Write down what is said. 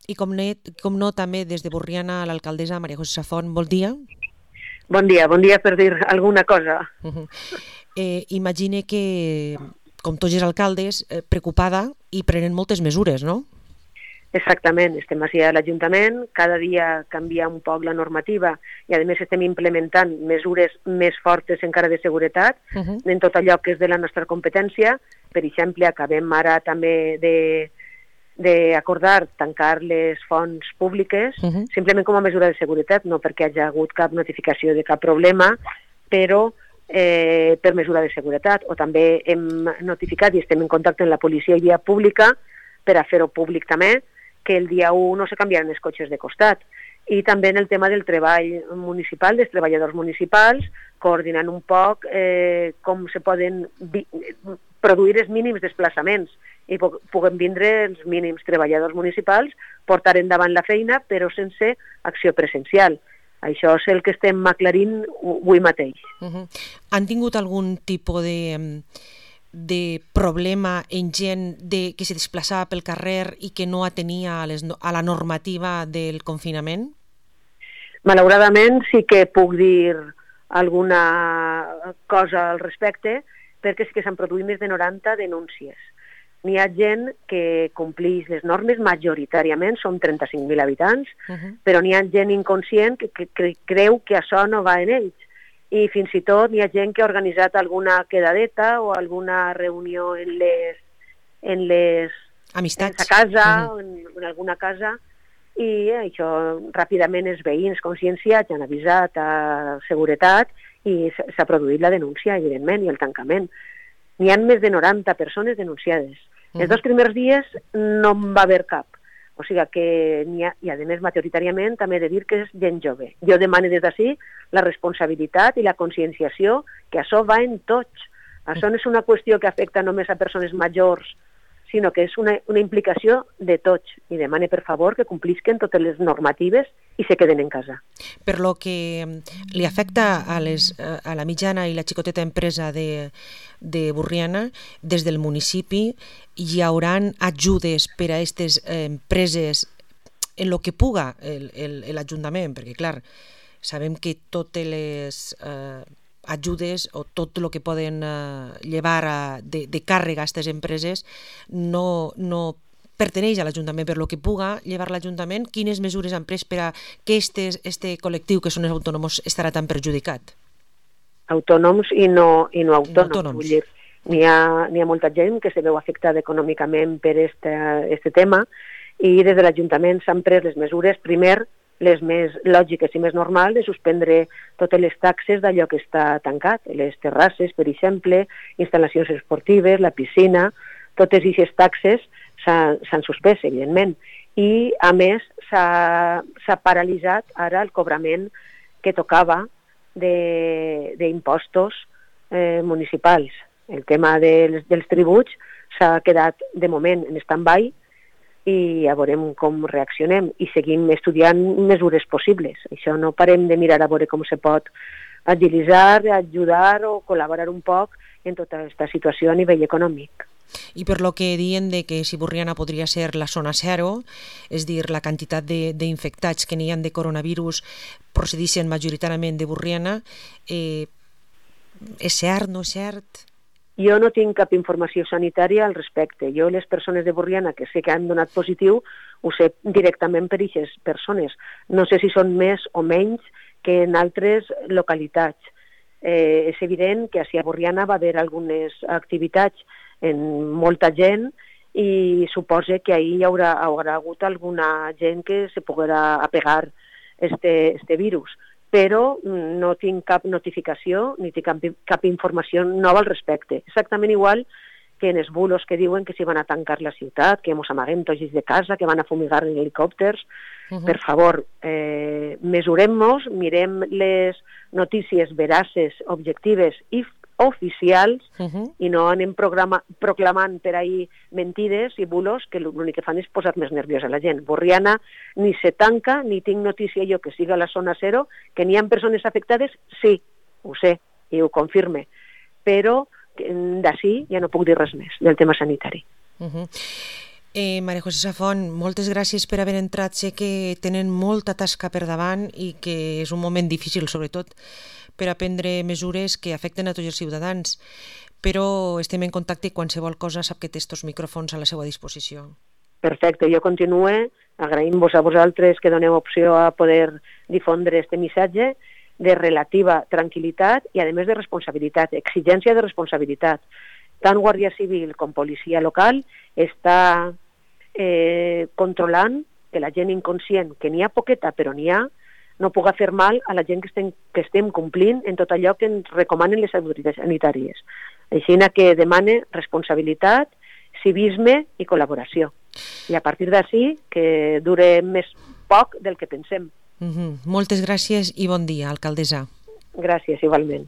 I com no també des de Borriana a l'alcaldessa Maria José Safont, bon dia. Bon dia per dir alguna cosa. Imagine que, com tots els alcaldes, preocupada i prenen moltes mesures, no? Exactament, estem així a l'Ajuntament, cada dia canvia un poc la normativa i a més estem implementant mesures més fortes encara de seguretat en tot allò que és de la nostra competència. Per exemple, acabem ara també d'acordar tancar les fonts públiques simplement com a mesura de seguretat, no perquè hi hagi hagut cap notificació de cap problema, però per mesura de seguretat. O també hem notificat i estem en contacte amb la policia i via pública per a fer-ho públic també, que el dia 1 no se canviaran els cotxes de costat. I també en el tema del treball municipal, dels treballadors municipals, coordinant un poc com se poden produir els mínims desplaçaments i puguem vindre els mínims treballadors municipals, portar endavant la feina, però sense acció presencial. Això és el que estem aclarint avui mateix. Han tingut algun tipus de problema en gent que se desplaçava pel carrer i que no atenia a la normativa del confinament? Malauradament sí que puc dir alguna cosa al respecte, perquè sí que s'han produït més de 90 denúncies. N'hi ha gent que compleix les normes, majoritàriament, són 35.000 habitants, però n'hi ha gent inconscient que creu que això no va en ells. I fins i tot hi ha gent que ha organitzat alguna quedadeta o alguna reunió en les amistats, a casa, en alguna casa, i això ràpidament els veïns conscienciats han avisat a seguretat i s'ha produït la denúncia, evidentment, i el tancament. N'hi ha més de 90 persones denunciades. Els 2 primers dies no en va haver cap. O sigui que n'hi ha, i a més majoritàriament també he de dir que és gent jove. Jo demano des d'ací la responsabilitat i la conscienciació, que això va en tots. Això no és una qüestió que afecta només a persones majors, sinó que és una implicació de tots. I demane, per favor, que complisquen totes les normatives i se queden en casa. Per lo que li afecta a la mitjana i la xicoteta empresa de Borriana, des del municipi hi haurà ajudes per a aquestes empreses en lo que puga l'Ajuntament, perquè clar, sabem que totes les ajudes o tot el que poden llevar de càrrega a aquestes empreses no perteneix a l'Ajuntament, per lo que puga llevar l'Ajuntament. Quines mesures han pres per a que este col·lectiu, que són els autònoms, estarà tan perjudicat? Autònoms i no autònoms. Vull dir, n'hi ha molta gent que se veu afectada econòmicament per este tema i des de l'Ajuntament s'han pres les mesures, primer, les més lògiques i més normals, de suspendre totes les taxes d'allò que està tancat, les terrasses, per exemple, instal·lacions esportives, la piscina, totes aquestes taxes s'han suspès, evidentment. I, a més, s'ha paralitzat ara el cobrament que tocava d'impostos municipals. El tema dels tributs s'ha quedat, de moment, en stand-by i ja veurem com reaccionem i seguim estudiant mesures possibles. Això no parem de mirar a veure com se pot agilitzar, ajudar o col·laborar un poc en tota aquesta situació a nivell econòmic. I per lo que diuen de que si Borriana podria ser la zona zero, és dir, la quantitat d'infectats que n'hi ha de coronavirus procedixen majoritàriament de Borriana, és cert, no és cert? Jo no tinc cap informació sanitària al respecte. Jo, les persones de Borriana que sé que han donat positiu, ho sé directament per aquestes persones. No sé si són més o menys que en altres localitats. És evident que a Borriana va haver algunes activitats en molta gent i suposa que ahir hi haurà hagut alguna gent que se poguera apegar este virus. Però no tinc cap notificació ni tinc cap informació nova al respecte. Exactament igual que en els bulos que diuen que s'hi van a tancar la ciutat, que ens amaguem tots de casa, que van a fumigar en helicòpters. Per favor, mesurem-nos, mirem les notícies veraces, objectives i oficials i no anem proclamant per ahir mentides i bulos que l'únic que fan és posar més nerviosa la gent. Borriana ni se tanca, ni tinc notícia jo que siga la zona zero, que n'hi ha persones afectades, sí, ho sé i ho confirme, però d'ací ja no puc dir res més del tema sanitari. Maria José Safont, moltes gràcies per haver entrat. Sé que tenen molta tasca per davant i que és un moment difícil, sobretot, per a prendre mesures que afecten a tots els ciutadans, però estem en contacte i qualsevol cosa sap que té estos micròfons a la seva disposició. Perfecte, jo continuo agraint-vos a vosaltres que doneu opció a poder difondre este missatge de relativa tranquil·litat i, a més, de responsabilitat, exigència de responsabilitat. Tant Guàrdia Civil com policia local està controlant que la gent inconscient, que n'hi ha poqueta però n'hi ha, no pugui fer mal a la gent que estem complint en tot allò que ens recomanen les autoritats sanitàries. Així que demane responsabilitat, civisme i col·laboració. I a partir d'ací que dure més poc del que pensem. Moltes gràcies i bon dia, alcaldessa. Gràcies, igualment.